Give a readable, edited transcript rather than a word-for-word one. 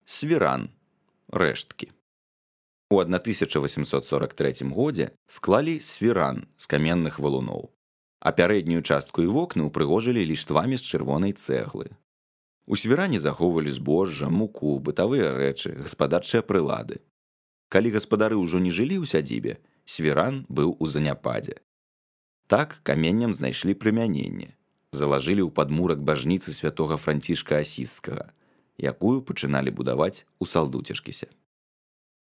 свіран, рэшткі. У 1843 годзе склалі свіран з каменных валуноў, а пярэднюю частку і вокны ўпрыгожылі ліштвамі з чырвонай цэглы. У свіране захоўвалі збожжа, муку, бытавыя рэчы, гаспадарчыя прылады. Калі гаспадары ўжо не жылі ў сядзібе, свіран быў у заняпадзе. Так каменням знайшлі прымяненне. Залажылі ў падмурак бажніцы святога Францішка Асісскага, якую пачыналі будаваць у Салдуцішкісе.